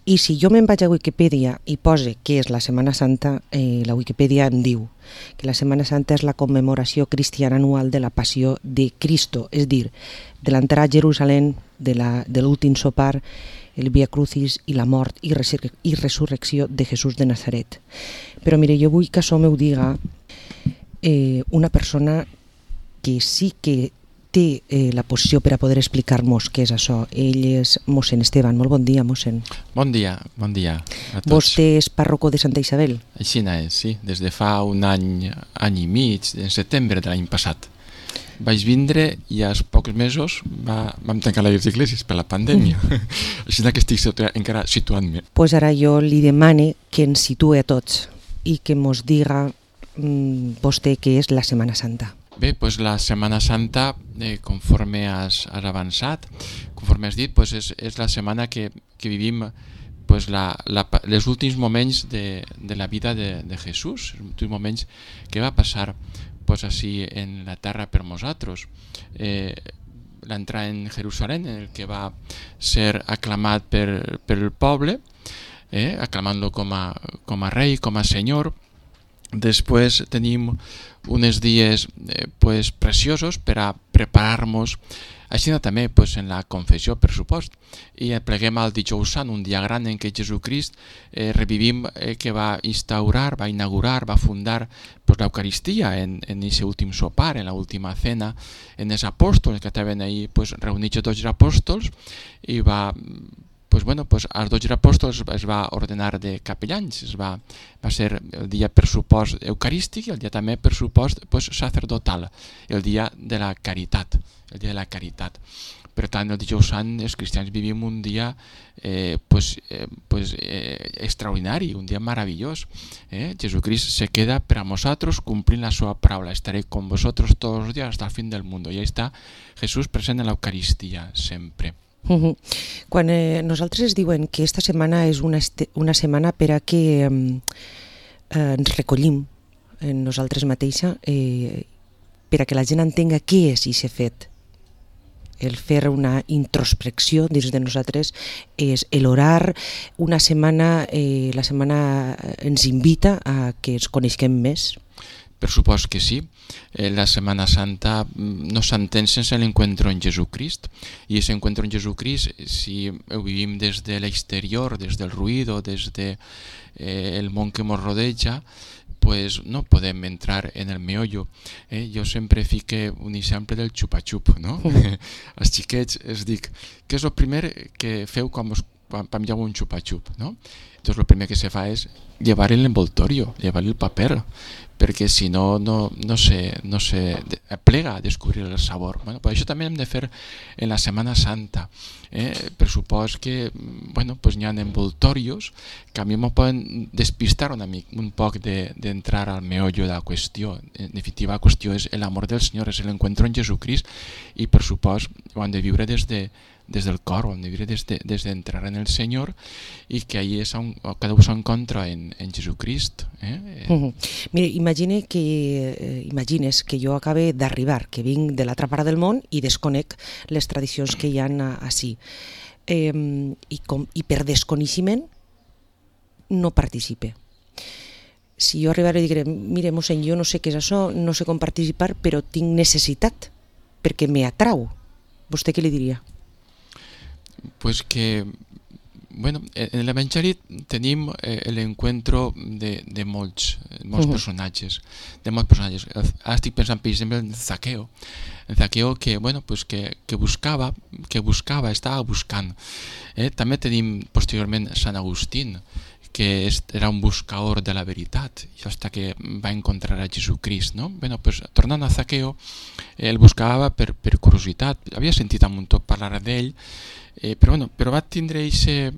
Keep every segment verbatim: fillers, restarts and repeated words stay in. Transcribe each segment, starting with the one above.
I si jo me'n vaig a Wikipedia i pose què és la Setmana Santa, eh, la Wikipedia em diu que la Setmana Santa és la commemoració cristiana anual de la passió de Cristo, és dir, de l'entrada a Jerusalem, de, la, de l'últim sopar, el Via Crucis i la mort i, resur i resurrecció de Jesús de Nazaret. Però mire, jo vull que això m'ho diga eh, una persona que sí que té eh, la posició per a poder explicar-nos què és això. Ell és mossèn Esteban. Molt bon dia, mossèn. Bon dia, bon dia a tots. Vostè és pàrroco de Santa Isabel? Així és, sí. Des de fa un any, any i mig, en setembre de l'any passat. Vaig vindre i als pocs mesos va, vam tancar les iglesias per la pandèmia. Mm. Així que estic situa encara situant-me. Pues ara jo li demane que ens situe a tots i que mos diga mm, vostè què és la Setmana Santa. Bé, pues la Setmana Santa, eh, conforme has, has avançat, conforme has dit, pues és, és la setmana que, que vivim pues la, la, els últims moments de, de la vida de, de Jesús, els últims moments que va passar pues així en la terra per nosaltres. Eh, l'entrada en Jerusalem, en el que va ser aclamat per, per el poble, eh, aclamant-lo com a, com a rei, com a senyor. Després tenim uns dies eh, pues, preciosos per a preparar-nos, així també pues, en la confessió, per supost, i pleguem al dijous sant, un dia gran en què Jesucrist eh, revivim eh, que va instaurar, va inaugurar, va fundar pues, l'Eucaristia en aquest últim sopar, en l'última cena, en els apòstols que estaven ahí pues, reunits tots els apòstols, i va... Pues bueno, pues als dotze apòstols es va ordenar de capellans, es va, va ser el dia per supost eucarístic i el dia també per supost pues, sacerdotal, el dia de la caritat, el dia de la caritat. Per tant, el dijous sant els cristians vivim un dia eh, pues, eh, pues, eh, extraordinari, un dia meravellós. Eh? Jesucrist se queda per a nosaltres complint la seva paraula. Estaré con vosotros todos los días hasta el fin del mundo. I ahí està Jesús present en l'Eucaristia sempre. Uh-huh. Quan eh, nosaltres es diuen que esta setmana és una, una setmana per a que eh, eh, ens recollim en nosaltres mateixa, eh, per a que la gent entenga què és i s'ha fet. El fer una introspecció dins de nosaltres és l'orar. Una setmana, eh, la setmana ens invita a que ens coneixem més. Per supost que sí. Eh, la Semana Santa no s'entén sense l'encuentro en Jesucrist, i ese encuentro en Jesucrist, si ho vivim des de l'exterior, des del ruïdo, des del de, eh, món que ens rodeja, pues no podem entrar en el meollo. Eh? Jo sempre fique un exemple del xupa-xup, no? Mm. Als xiquets els dic, què és el primer que feu quan us pengeu un xupa-xup, no? Entonces lo primer que se fa és llevar el envoltorio, llevar el paper, perquè si no, no, no, se, no se plega a descobrir el sabor. Bueno, pues això també hem de fer en la Setmana Santa. Eh? Per supòs que bueno, pues n'hi ha envoltorios que a mi me poden despistar una mica, un poc d'entrar de, al meollo de la qüestió. En definitiva, la qüestió és l'amor del Senyor, és l'encuentro en Jesucrist, i per supòs ho han de viure des de des del cor, ho hem de viure des de, des d'entrar en el Senyor, i que ahí és on, cada un s'encontra en, en Jesucrist. Eh? Uh -huh. Mira, imagine que, eh, imagines que jo acabe d'arribar, que vinc de l'altra part del món i desconec les tradicions que hi ha ací. Eh, i, com, I per desconeixement no participe. Si jo arribaré i diré, mire, mossèn, jo no sé què és això, no sé com participar, però tinc necessitat, perquè me atrau. Vostè què li diria? Pues que, bueno, en l'Evangeli tenim eh, l'encuentro de, de molts, molts uh -huh. personatges, de molts personatges. Ara estic pensant, per exemple, en Zaqueo, en Zaqueo que, bueno, pues que, que buscava, que buscava, estava buscant. Eh? També tenim posteriorment Sant Agustín, que era un buscador de la veritat, i hasta que va encontrar a Jesucrist, no? Bueno, pues, tornant a Zaqueo, el buscava per, per curiositat, havia sentit a un tot parlar d'ell, eh, però, bueno, però va tindre ese,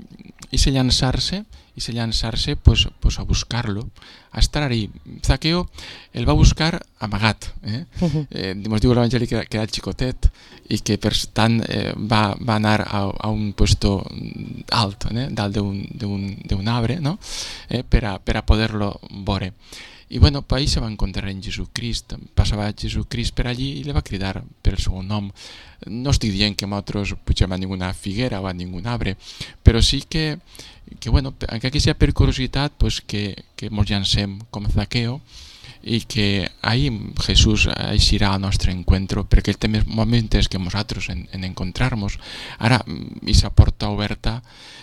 ese llançar-se, ese llançar-se pues, pues a buscar-lo, a estar ahí. Zaqueo el va buscar amagat. Eh? Uh-huh. eh, ens diu l'Evangeli que, que era xicotet i que per tant eh, va, va anar a, a un puesto alt, eh? dalt d'un arbre, no? eh? per, a, per a poder-lo veure. I bueno, pues ahí se va encontrar en Jesucrist. Passava Jesucrist per allí i li va cridar per el seu nom. No estic dient que nosaltres pugem a ninguna figuera o a ningun arbre, però sí que, que bueno, encara que sigui per curiositat, pues que, que ens llancem com Zaqueo i que ahí Jesús eixirà al nostre encuentro, perquè el té més moments que nosaltres en, en encontrar-nos. Ara, aquesta porta oberta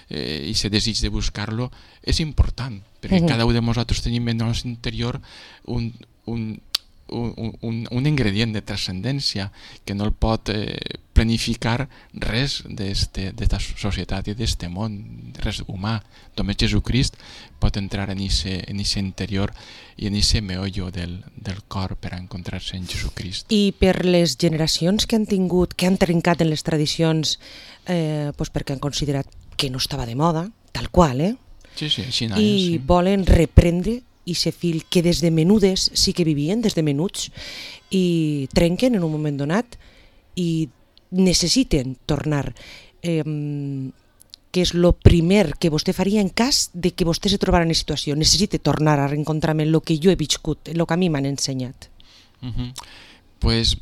eh, i aquest desig de buscar-lo és important, perquè uh-huh. cada un de nosaltres tenim en el nostre interior un, un, un, un, un ingredient de transcendència que no el pot eh, planificar res d'esta societat i d'este món, res humà. Només Jesucrist pot entrar en aquest interior i en aquest meollo del, del cor per encontrar-se en Jesucrist. I per les generacions que han tingut, que han trencat en les tradicions, eh, doncs perquè han considerat que no estava de moda, tal qual, eh? Sí, sí, així no I és, sí. volen reprendre i se fil que des de menudes sí que vivien, des de menuts, i trenquen en un moment donat i necessiten tornar. Eh, que és el primer que vostè faria en cas de que vostè se trobara en situació. Necessite tornar a reencontrar-me en el que jo he viscut, en el que a mi m'han ensenyat. Uh-huh. Pues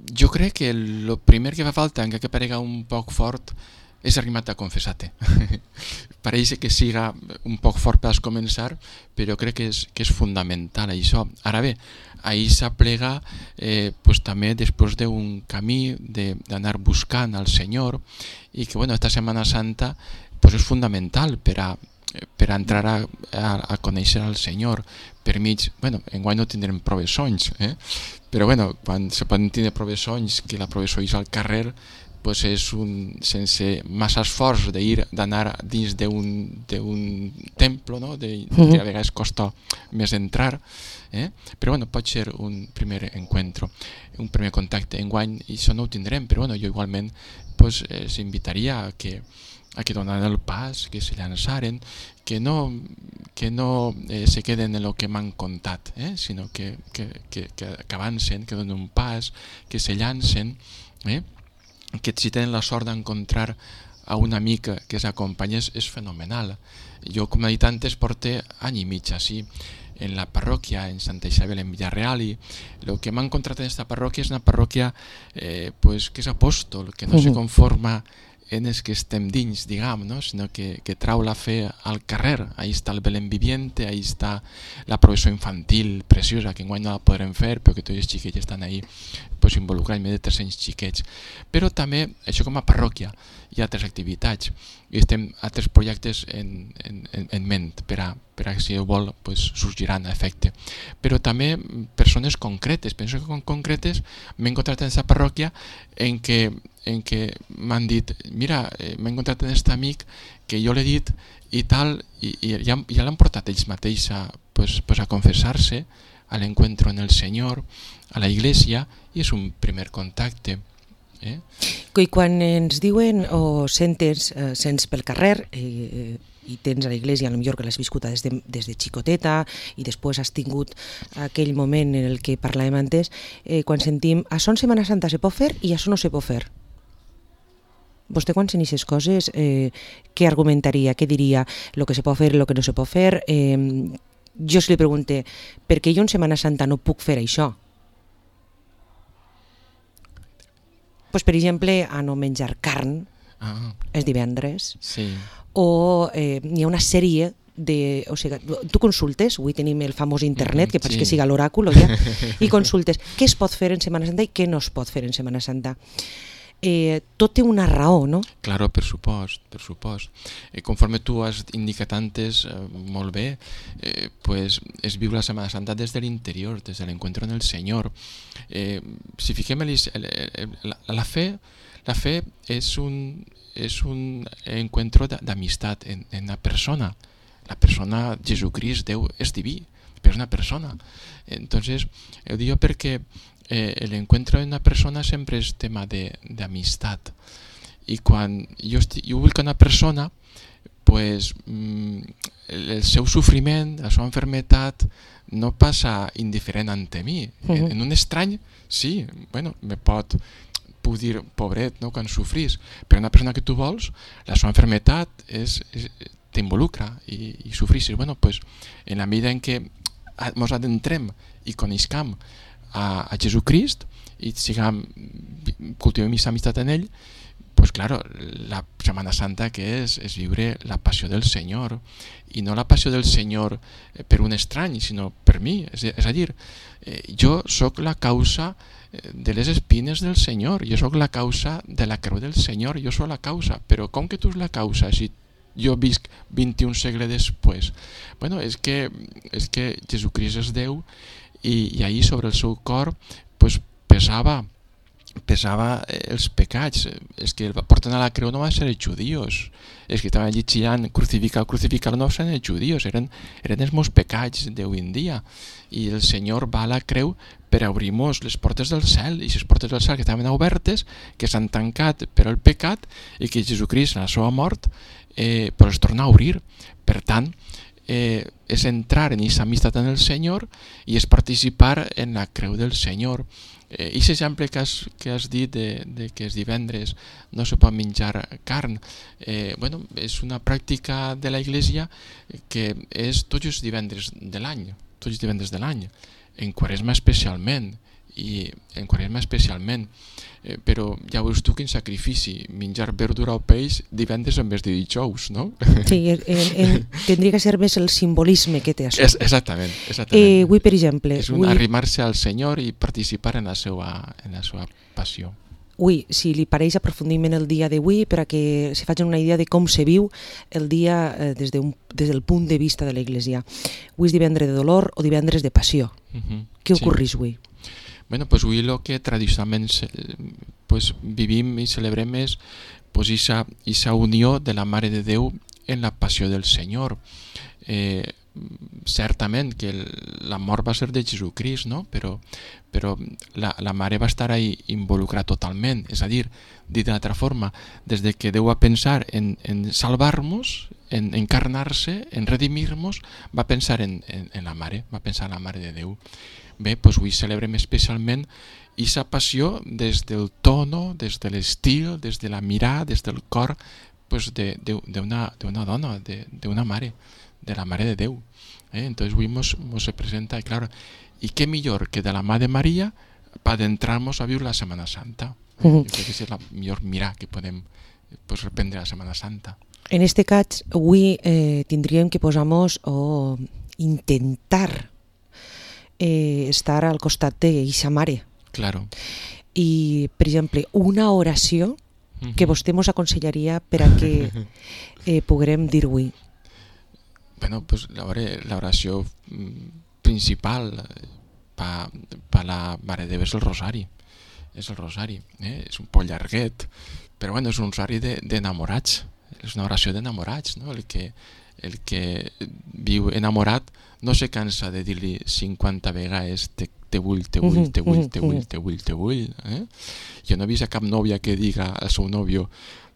jo crec que el primer que fa falta, encara que parega un poc fort, és arribar a confessar-te. Pareix que siga un poc fort per començar, però crec que és, que és fundamental això. Ara bé, ahir s'aplega eh, pues, també després d'un camí d'anar buscant al Senyor i que bueno, esta Setmana Santa pues, és fundamental per a, per a entrar a, a, a conèixer al Senyor per mig, bueno, enguany no tindrem professons, eh? Però bueno, quan se poden tindre professons, que la professó és al carrer, pues és un, sense massa esforç d'anar dins d'un templo, no? de, que a vegades costa més entrar, eh? Però bueno, pot ser un primer encuentro, un primer contacte. Enguany això no ho tindrem, però bueno, jo igualment pues, eh, s'invitaria a que a que donen el pas, que se llançaren, que no, que no eh, se queden en el que m'han contat, eh? sinó que, que, que, que avancen, que donen un pas, que se llancen, eh? que si tenen la sort d'encontrar a un amic que s'acompanyés és fenomenal. Jo, com he dit antes, porté any i mig així en la parròquia, en Santa Isabel, en Villarreal, i el que m'ha encontrat en aquesta parròquia és una parròquia eh, pues, que és apòstol, que no uh-huh. se conforma en els que estem dins, diguem, no? sinó que, que trau la fe al carrer. Ahí està el Belén viviente, ahí està la professó infantil preciosa, que enguany no la podrem fer, però que tots els xiquets estan ahí pues, involucrats, més de tres-cents xiquets. Però també, això com a parròquia, hi ha altres activitats, i estem altres projectes en, en, en ment, per a, per a si ho vol, pues, sorgiran a efecte. Però també persones concretes, penso que concretes m'he encontrat en aquesta parròquia en què en què m'han dit, mira, eh, m'he encontrat en aquest amic que jo l'he dit i tal, i, i ja, ja l'han portat ells mateix a, pues, pues a confessar-se, a l'encuentro en el Senyor, a la iglesia, i és un primer contacte. Eh? I quan ens diuen o sentes, eh, sents pel carrer eh, i tens a la iglesia, potser que l'has viscut des de, des de xicoteta i després has tingut aquell moment en el que parlàvem antes, eh, quan sentim això en Setmana Santa se pot fer i això no se pot fer. Vostè quan sent aquestes coses, eh, què argumentaria, què diria, el que se pot fer, el que no se pot fer? Eh, jo si li pregunte, per què jo en Setmana Santa no puc fer això? Pues, per exemple, a no menjar carn, ah. és divendres, sí. o eh, hi ha una sèrie de, o sigui, tu consultes, avui tenim el famós internet, que pareix sí. que siga l'oràcul, ja, i consultes què es pot fer en Setmana Santa i què no es pot fer en Setmana Santa. Eh, tot té una raó, no? Claro, per supost, per supost. Eh, conforme tu has indicat antes, eh, molt bé, eh, pues es viu la Setmana Santa des de l'interior, des de l'encuentro en el Senyor. Eh, si fiquem el, el, la, la fe, la fe és un, és un encuentro d'amistat en, en la persona. La persona, Jesucrist, Déu, és diví, però és una persona. Entonces, ho dic perquè Eh, el encuentro en una persona sempre és tema de, de amistat, i quan jo, estic, jo vull que una persona pues, mm, el, el seu sofriment, la seva enfermetat no passa indiferent ante mi. Uh-huh. en, en un estrany sí, bueno, me pot puc dir pobret, no, quan sofrís, però una persona que tu vols, la seva enfermetat és, és, t'involucra i, i sofrís. Bueno, pues, en la medida en què ens adentrem i coneixem a, a Jesucrist i sigam, cultivem aquesta amistat en ell, pues claro, la Setmana Santa que és és viure la passió del Senyor, i no la passió del Senyor per un estrany, sinó per mi. És, és a dir, eh, jo sóc la causa de les espines del Senyor, jo sóc la causa de la creu del Senyor, jo sóc la causa, però com que tu és la causa si jo visc vint-i-un segles després? Bueno, és que, és que Jesucrist és Déu, i, i ahir sobre el seu cor pues, pesava pesava els pecats. És que el porten a la creu no van ser els judíos, és que estaven allí xillant crucificar, crucificar, no eren els judíos, eren, eren els meus pecats d'avui en dia, i el Senyor va a la creu per obrir-nos les portes del cel, i les portes del cel que estaven obertes, que s'han tancat per el pecat, i que Jesucrist en la seva mort eh, pues els torna a obrir. Per tant, eh, és entrar en aquesta amistat en el Senyor i és participar en la creu del Senyor. Eh, I l'exemple que has, que has dit de, de que els divendres no se pot menjar carn, eh, bueno, és una pràctica de la Iglesia que és tots els divendres de l'any, tots els divendres de l'any, en Quaresma especialment, i en Quaresma especialment, eh, però ja veus tu quin sacrifici, menjar verdura o peix divendres en vez de dijous, no? Sí, en, en, tindria que ser més el simbolisme que té això. Es, exactament, exactament. Eh, avui, per exemple... És un avui... arrimar-se al Senyor i participar en la seva, en la seva passió. Avui, si li pareix aprofundim en el dia d'avui, per a que se facin una idea de com se viu el dia eh, des, de un, des del punt de vista de l'Església. Avui és divendres de dolor o divendres de passió. Uh-huh. Què ocorreix avui? Bueno, pues avui el que tradicionalment pues, vivim i celebrem és pues, esa, esa unió de la Mare de Déu en la passió del Senyor. Eh, certament que el, la mort va ser de Jesucrist, no? però, però la, la Mare va estar ahí involucrada totalment. És a dir, dit d'altra forma, des de que Déu va pensar en, en salvar-nos, en encarnar-se, en redimir-nos, va pensar en, en, en la Mare, va pensar en la Mare de Déu. Bé, doncs avui celebrem especialment aquesta passió des del tono, des de l'estil, des de la mirada, des del cor pues de, de, de, una, de una dona, de, de una mare, de la Mare de Déu. Eh? Entonces avui mos, mos se presenta, i claro, i què millor que de la mà de Maria per adentrar-nos a viure la Setmana Santa. Eh? Uh-huh. Jo crec que és la millor mirada que podem pues, reprendre la Setmana Santa. En este cas, avui eh, tindríem que posar-nos o intentar eh, estar al costat d'eixa mare. Claro. I, per exemple, una oració uh-huh. que vostè mos aconsellaria per a que eh, puguem dir avui. Bueno, pues la oració principal per pa la Mare de Déu és el rosari. És el rosari, eh? És un poc llarguet, però bueno, és un rosari d'enamorats. És una oració d'enamorats, no? El que, el que viu enamorat no se cansa de dir-li cinquanta vegades te, te vull, te vull, te vull, te vull, te vull, te vull. Eh? Jo no he vist a cap nòvia que diga al seu nòvio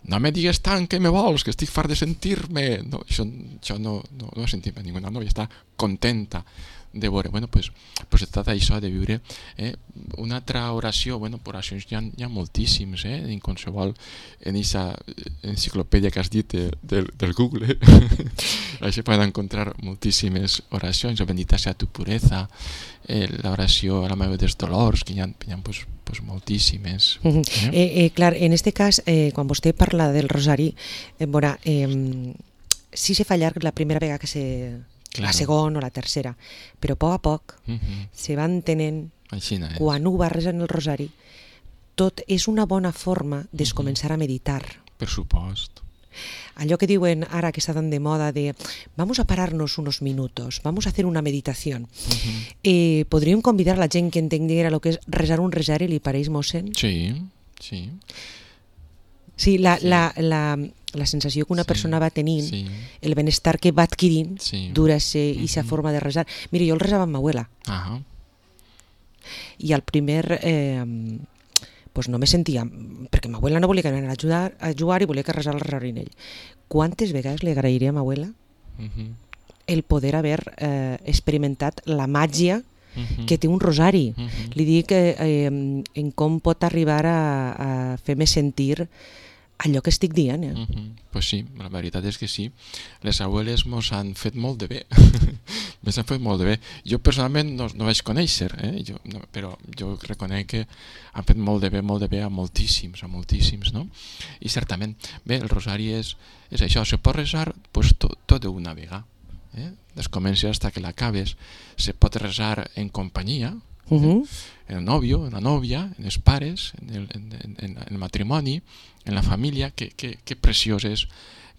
no me digues tant que me vols, que estic fart de sentir-me. No, això, això no, no, no he sentit a ninguna nòvia, està contenta de veure. Bueno, pues, pues es tracta d'això, de viure eh? Una altra oració. Bueno, oracions hi ha, hi ha moltíssims, eh? En qualsevol, en aquesta enciclopèdia que has dit de, de, del Google, això poden encontrar moltíssimes oracions. Bendita sea tu pureza, eh, l'oració a la Mare dels Dolors, que hi ha, hi ha pues, pues, moltíssimes. Uh-huh. eh? Eh, eh, clar, en este cas, eh, quan vostè parla del rosari, eh, veurà, eh, sí se fa llarg la primera vegada que se... Claro. La segona o la tercera, però a poc a poc uh-huh. se va entenent quan ho va resar en el rosari, tot és una bona forma de uh-huh. començar a meditar. Per supost. Allò que diuen ara que està tan de moda de vamos a pararnos unos minutos, vamos a hacer una meditación. Uh-huh. Eh, podríem convidar a la gent que entenguera el que és resar un rosari, li pareix, mossèn? Sí, sí. Sí, la, sí. La, la, la sensació que una sí, persona va tenint, sí. El benestar que va adquirint sí. Dura ser aquesta uh-huh. forma de resar. Mira, jo el resava amb ma abuela. Uh-huh. I al primer eh, pues no me sentia, perquè ma abuela no volia que anara a jugar, a jugar i volia que resar el rosari en ell. Quantes vegades li agrairia a ma abuela uh-huh. el poder haver eh, experimentat la màgia Uh-huh. que té un rosari. Uh-huh. Li dic eh, eh, en com pot arribar a, a fer-me sentir allò que estic dient. Eh? Uh-huh. Pues sí, la veritat és que sí. Les abueles mos han fet molt de bé. Me s'ha fet molt bé. Jo personalment no, no vaig conèixer, eh? jo, no, però jo reconec que han fet molt de bé, molt de bé a moltíssims, a moltíssims, no? I certament, bé, el rosari és, és això, se pot resar pues, tot, tot d'una vegada. Eh? Des comences hasta que l'acabes. Se pot resar en companyia, Uh-huh. en el novio, en la novia, en els pares, en el, en, en, en el matrimoni, en la família, que, que, que preciós és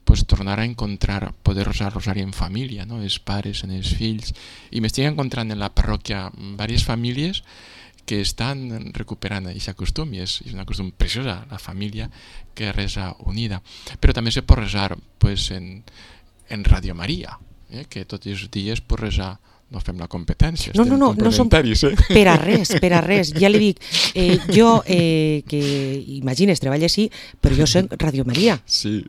pues, tornar a encontrar, poder resar rosari en família, no? Els pares, en els fills. I m'estic encontrant en la parròquia diverses famílies que estan recuperant aquest costum, i és, és una costum preciosa, la família que resa unida. Però també se pot resar pues, en, en Radio Maria, eh? Que tots els dies pot resar. No fem la competència, no, estem no, no, no som complementaris, eh? Per a res, per a res. Ja li dic, eh, jo, eh, que imagines, treballa així, però jo soc Radio Maria. Sí.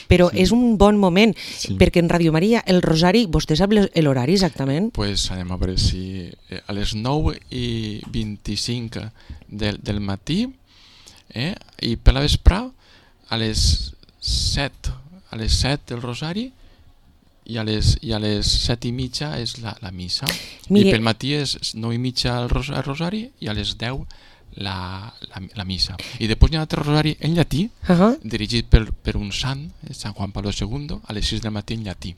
Però sí. és un bon moment, sí. perquè en Radio Maria, el rosari, vostè sap l'horari exactament? Pues anem a veure si a les nou i vint-i-cinc del, del matí, eh? I per la vesprà, a les set, a les set del rosari, i a les, i a les set i mitja és la, la missa. Mire, i pel matí és nou i mitja el, ros, el rosari i a les deu la, la, la missa. I després hi ha un altre rosari en llatí, uh-huh. dirigit per, per un sant, Sant Juan Pablo segundo, a les sis del matí en llatí.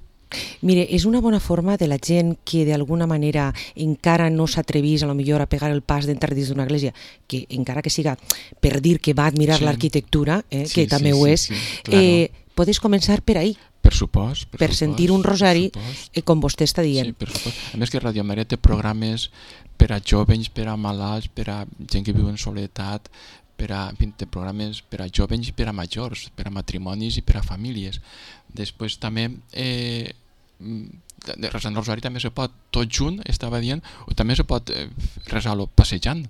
Mire, és una bona forma de la gent que d'alguna manera encara no s'atrevís a lo millor a pegar el pas d'entrar dins d'una església, que encara que siga per dir que va admirar sí. l'arquitectura, eh, sí, que també sí, ho és, sí, sí, claro. eh, podés començar per ahí. Per supost. Per, per supost, sentir un rosari, eh, com vostè està dient. Sí, per supost. A més que Radio Maria té programes per a jovens, per a malalts, per a gent que viu en soledat, per a, té programes per a jovens i per a majors, per a matrimonis i per a famílies. Després també, eh, resant el rosari també se pot tot junt, estava dient, o també se pot eh, resar-lo passejant.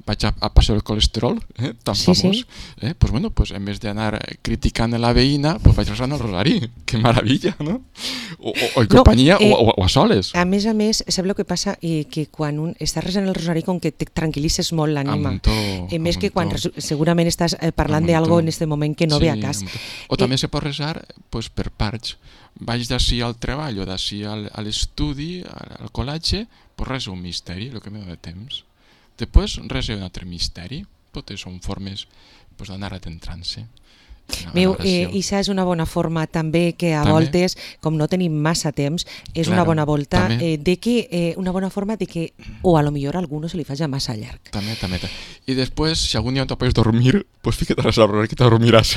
Vaig a, a passejar el colesterol, eh, tan sí, famós. Sí. Eh, pues bueno, pues en vez d'anar criticant la veïna, pues vaig resant el rosari. Que maravilla, no? O, o, o en no, companyia eh, o, o a soles. A més a més, sap el que passa? Eh, que quan un està resant el rosari com que te tranquil·litzes molt l'ànima. Eh, més que quan segurament estàs eh, parlant d'algo en aquest moment que no sí, ve a cas. O eh, també se pot resar pues, per parts. Vaig d'ací al treball o d'ací al, a l'estudi, al, al col·legi, pues resa un misteri, el que me dona temps. Després resa un altre misteri. Totes són formes pues, d'anar adentrant-se. Meu, eh, això és una bona forma també que a també? voltes, com no tenim massa temps, és claro, una bona volta eh, de que, eh, una bona forma de que o a lo millor a algú no se li faci massa llarg. També, també. I després, si algun dia no te pots dormir, pues fica't a la sala que te dormiràs.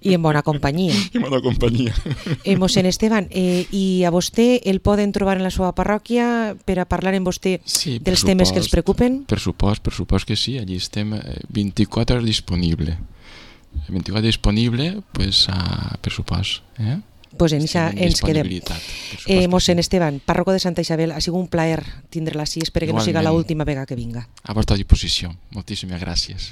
I en bona companyia. I en bona companyia. Eh, mossèn Esteban, eh, i a vostè el poden trobar en la seva parròquia per a parlar amb vostè sí, dels supost, temes que els preocupen? Per supost, per supost que sí, allí estem vint-i-quatre hores disponible. vint-i-quatre disponible, pues, a, per supost. Eh? Pues en això ens quedem. Eh, mossèn sí. Esteban, párroco de Santa Isabel, ha sigut un plaer tindre-la així, espero que Igualment. no siga l'última vegada que vinga. A vostra disposició. Moltíssimes gràcies.